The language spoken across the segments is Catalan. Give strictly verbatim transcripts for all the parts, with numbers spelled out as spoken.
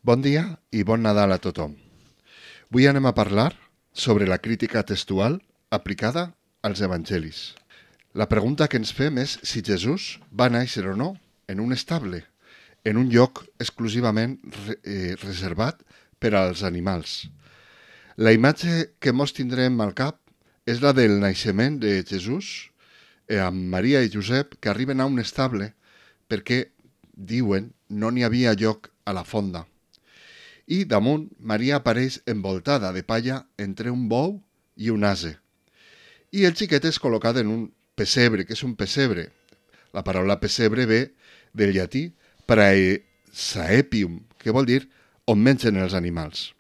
Bon dia i bon Nadal a tothom. Avui anem a parlar sobre la crítica textual aplicada als evangelis. La pregunta que ens fem és si Jesús va néixer o no en un estable, en un lloc exclusivament re eh, reservat per als animals. La imatge que mos tindrem al cap és la del naixement de Jesús eh, amb Maria i Josep, que arriben a un estable perquè, diuen, no n'hi havia lloc a la fonda. I damunt Maria apareix envoltada de palla entre un bou i un ase. I el xiquet és col·locat en un pessebre. Què és un pessebre? La paraula pessebre ve del llatí praesaepium, que vol dir on mengen els animals.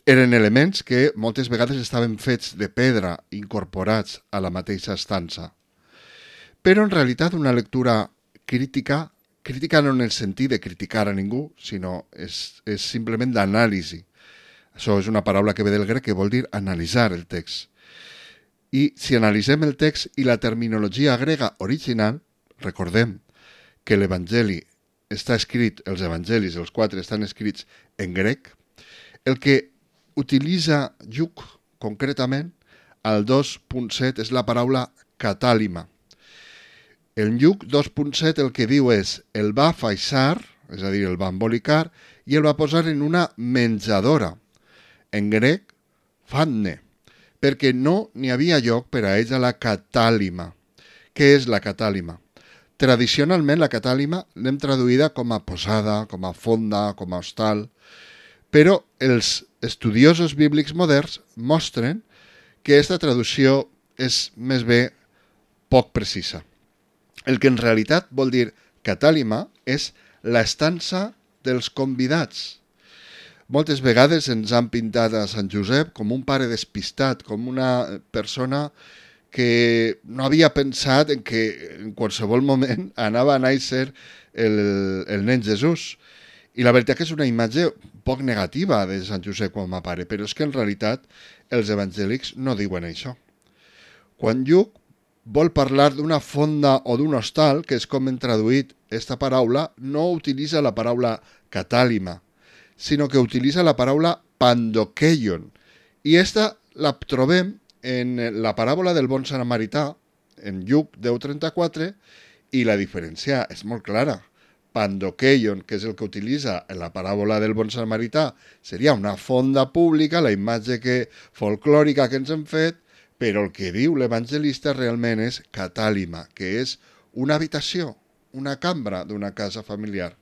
Eren elements que moltes vegades estaven fets de pedra, incorporats a la mateixa estança. Però en realitat una lectura crítica Crítica no en el sentit de criticar a ningú, sinó és, és simplement d'anàlisi. Això és una paraula que ve del grec que vol dir analitzar el text. I si analitzem el text i la terminologia grega original, recordem que l'Evangeli està escrit, els evangelis, els quatre estan escrits en grec, el que utilitza Lluc concretament al dos punt set és la paraula catàlima. El Lluc dos punt set el que diu és el va faixar, és a dir, el va embolicar, i el va posar en una menjadora, en grec, fanne, perquè no n'hi havia lloc per a ella la catàlima. Què és la catàlima? Tradicionalment la catàlima l'hem traduïda com a posada, com a fonda, com a hostal, però els estudiosos bíblics moderns mostren que aquesta traducció és més bé poc precisa. El que en realitat vol dir catàlima és l'estança dels convidats. Moltes vegades ens han pintat a Sant Josep com un pare despistat, com una persona que no havia pensat en que en qualsevol moment anava a néixer el, el nen Jesús. I la veritat que és una imatge poc negativa de Sant Josep com a pare, però és que en realitat els evangèlics no diuen això. Quan Lluc vol parlar d'una fonda o d'un hostal, que és com hem traduït aquesta paraula, no utilitza la paraula catàlima, sinó que utilitza la paraula pandokeion. I aquesta la trobem en la paràbola del bon samarità, en Lluc deu trenta-quatre, i la diferència és molt clara. Pandokeion, que és el que utilitza en la paràbola del bon samarità, seria una fonda pública, la imatge que, folclòrica que ens hem fet, però el que diu l'evangelista realment és catàlima, que és una habitació, una cambra d'una casa familiar.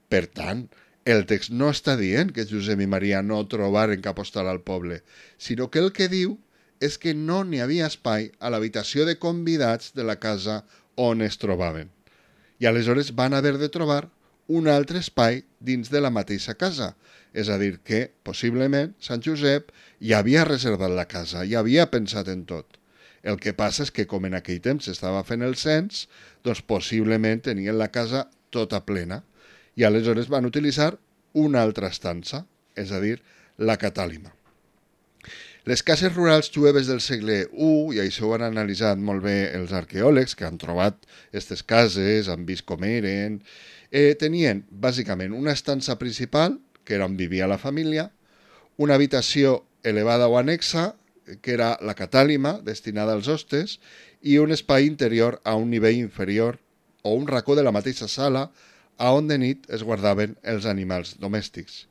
Per tant, el text no està dient que Josep i Maria no trobaren cap hostal al poble, sinó que el que diu és que no n'hi havia espai a l'habitació de convidats de la casa on es trobaven. I aleshores van haver de trobar un altre espai dins de la mateixa casa. És a dir, que possiblement Sant Josep ja havia reservat la casa, ja havia pensat en tot. El que passa és que com en aquell temps s'estava fent el cens, doncs possiblement tenien la casa tota plena i aleshores van utilitzar una altra estança, és a dir, la catàlima. Les cases rurals jueves del segle u, i això ho han analitzat molt bé els arqueòlegs que han trobat aquestes cases, han vist com eren, eh, tenien bàsicament una estança principal, que era on vivia la família, una habitació elevada o anexa, que era la catàlima, destinada als hostes, i un espai interior a un nivell inferior, o un racó de la mateixa sala, a on de nit es guardaven els animals domèstics.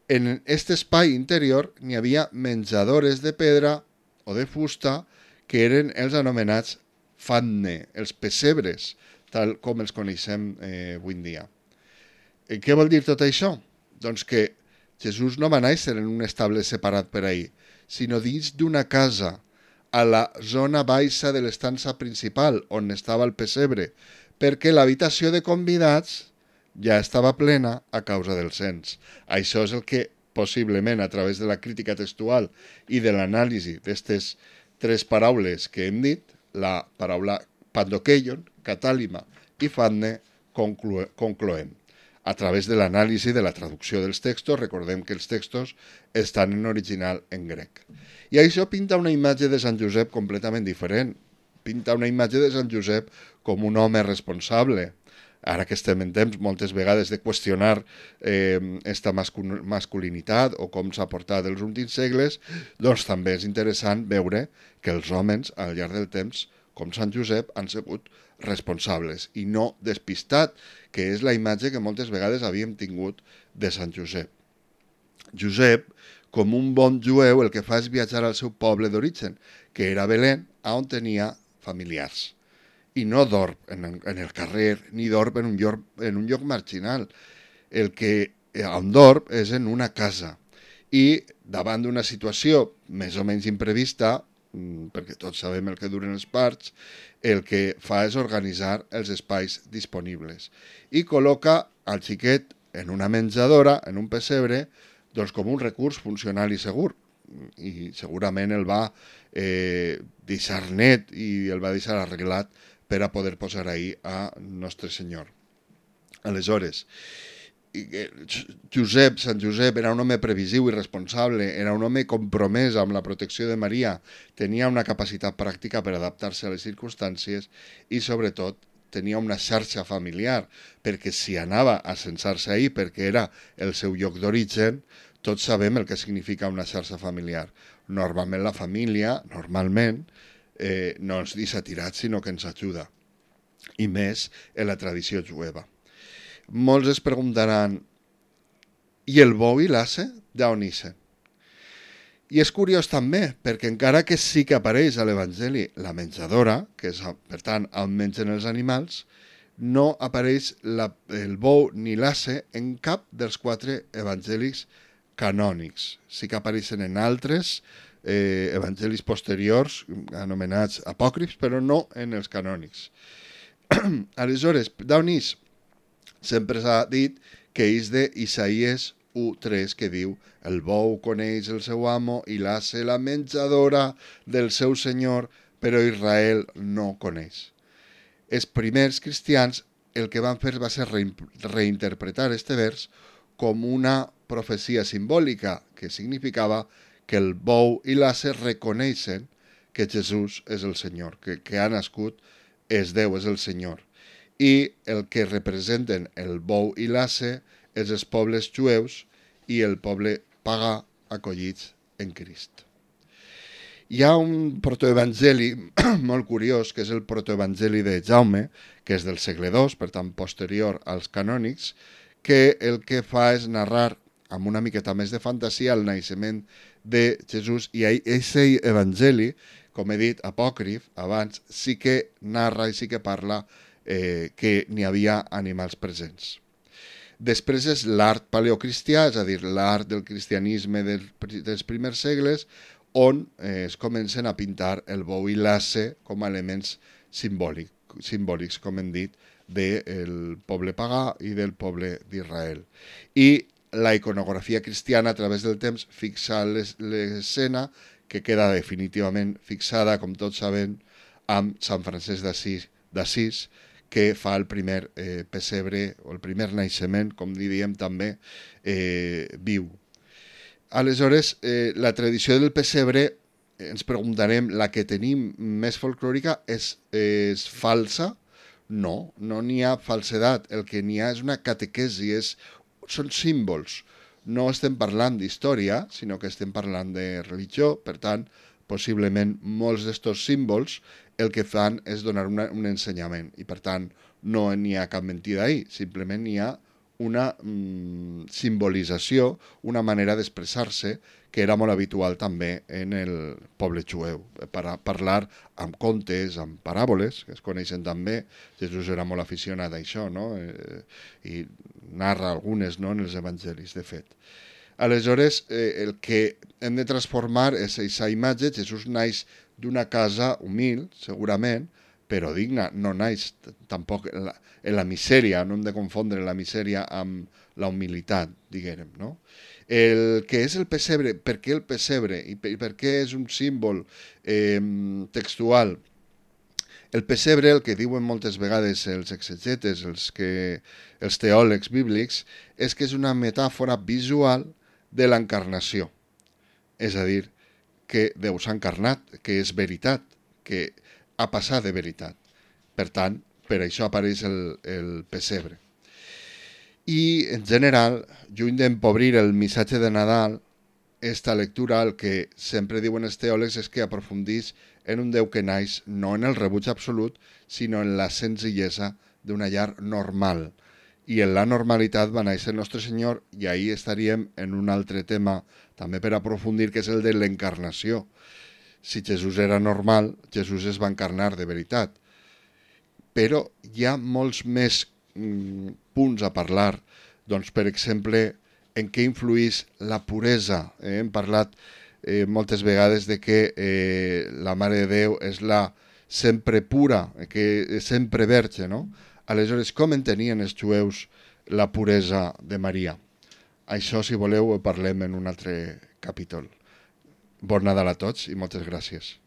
En aquest espai interior n'hi havia menjadores de pedra o de fusta, que eren els anomenats fanne, els pessebres, tal com els coneixem eh, avui en dia. Eh, què vol dir tot això? Doncs que Jesús no va néixer en un estable separat per ahir, sinó dins d'una casa, a la zona baixa de l'estança principal, on estava el pessebre, perquè l'habitació de convidats ja estava plena a causa del cens. Això és el que, possiblement, a través de la crítica textual i de l'anàlisi d'aquestes tres paraules que hem dit, la paraula pandokeion, catàlima i fanne, concloem. A través de l'anàlisi de la traducció dels textos, recordem que els textos estan en original en grec. I això pinta una imatge de Sant Josep completament diferent. Pinta una imatge de Sant Josep com un home responsable, ara que estem en temps moltes vegades de qüestionar eh, esta mascul masculinitat o com s'ha portat els últims segles, doncs també és interessant veure que els homes al llarg del temps, com Sant Josep, han sigut responsables i no despistat, que és la imatge que moltes vegades havíem tingut de Sant Josep. Josep, com un bon jueu, el que fa és viatjar al seu poble d'origen, que era Belén, on tenia familiars. I no dorm en, en el carrer, ni dorm en un lloc, en un lloc marginal. El que on dorm és en una casa. I davant d'una situació més o menys imprevista, perquè tots sabem el que duren els parts, el que fa és organitzar els espais disponibles. I col·loca al xiquet en una menjadora, en un pessebre, doncs com un recurs funcional i segur. I segurament el va eh, deixar net i el va deixar arreglat per a poder posar ahí a Nostre Senyor. Aleshores, Josep, Sant Josep era un home previsiu i responsable, era un home compromès amb la protecció de Maria, tenia una capacitat pràctica per adaptar-se a les circumstàncies i, sobretot, tenia una xarxa familiar, perquè si anava a censar-se ahir perquè era el seu lloc d'origen, tots sabem el que significa una xarxa familiar. Normalment la família, normalment, eh, no ens deixa tirats, sinó que ens ajuda. I més en la tradició jueva. Molts es preguntaran, i el bou i l'asse d'on ixen? I és curiós també, perquè encara que sí que apareix a l'Evangeli la menjadora, que és, per tant, on mengen els animals, no apareix la, el bou ni l'asse en cap dels quatre evangelis canònics. Sí que apareixen en altres eh, evangelis posteriors, anomenats apòcrifs, però no en els canònics. Aleshores, d'on és? Sempre s'ha dit que és d'Isaïes u tres, que diu: el bou coneix el seu amo i l'asse la menjadora del seu senyor, però Israel no coneix. Els primers cristians el que van fer va ser reinterpretar este vers com una profecia simbòlica, que significava que el bou i l'asse reconeixen que Jesús és el Senyor, que, que ha nascut, és Déu, és el Senyor. I el que representen el bou i l'asse és els pobles jueus i el poble pagà acollits en Crist. Hi ha un protoevangeli molt curiós, que és el protoevangeli de Jaume, que és del segle dos, per tant posterior als canònics, que el que fa és narrar amb una miqueta més de fantasia el naixement de Jesús, i aquest evangeli, com he dit, apòcrif, abans, sí que narra i sí que parla eh, que n'hi havia animals presents. Després és l'art paleocristià, és a dir, l'art del cristianisme del, dels primers segles, on eh, es comencen a pintar el bou i l'asse com a elements simbòlic, simbòlics, com hem dit, del poble pagà i del poble d'Israel. I la iconografia cristiana a través del temps fixa l'escena, que queda definitivament fixada, com tots sabem, amb Sant Francesc d'Assís, que fa el primer eh, pessebre, o el primer naixement, com diríem també, eh, viu. Aleshores, eh, la tradició del pessebre, eh, ens preguntarem, la que tenim més folclòrica és, és falsa? No, no n'hi ha falsedat. El que n'hi ha és una catequesi, és, són símbols. No estem parlant d'història, sinó que estem parlant de religió. Per tant, possiblement molts d'estos símbols el que fan és donar una, un ensenyament. I per tant, no n'hi ha cap mentida ahí, simplement n'hi ha una mm, simbolització, una manera d'expressar-se que era molt habitual també en el poble jueu. Per parlar amb contes, amb paràboles, que es coneixen també. Jesús era molt aficionat a això, no? Eh, i narra algunes, no?, en els evangelis, de fet. Aleshores, eh, el que hem de transformar és aquesta imatge. Jesús naix d'una casa humil, segurament, però digna. No naix tampoc en la, en la misèria, no hem de confondre la misèria amb la humilitat, diguem, no? El que és el pessebre, per què el pessebre i per, per què és un símbol eh, textual? El pessebre, el que diuen moltes vegades els exegetes, els, que, els teòlegs bíblics, és que és una metàfora visual de l'encarnació. És a dir, que Déu s'ha encarnat, que és veritat, que ha passat de veritat. Per tant, per això apareix el, el pessebre. I, en general, lluny d'empobrir el missatge de Nadal, esta lectura, el que sempre diuen els teòlegs és que aprofundís en un Déu que naix no en el rebuig absolut, sinó en la senzillesa d'una llar normal. I en la normalitat va néixer el nostre Senyor, i ahí estaríem en un altre tema, també per aprofundir, que és el de l'encarnació. Si Jesús era normal, Jesús es va encarnar de veritat. Però hi ha molts més mm, punts a parlar. Doncs, per exemple, en què influís la puresa. Eh? Hem parlat eh, moltes vegades de que eh, la Mare de Déu és la sempre pura, que és sempre verge, no? Aleshores, com entenien els jueus la puresa de Maria? Això, si voleu, ho parlem en un altre capítol. Bon Nadal a tots i moltes gràcies.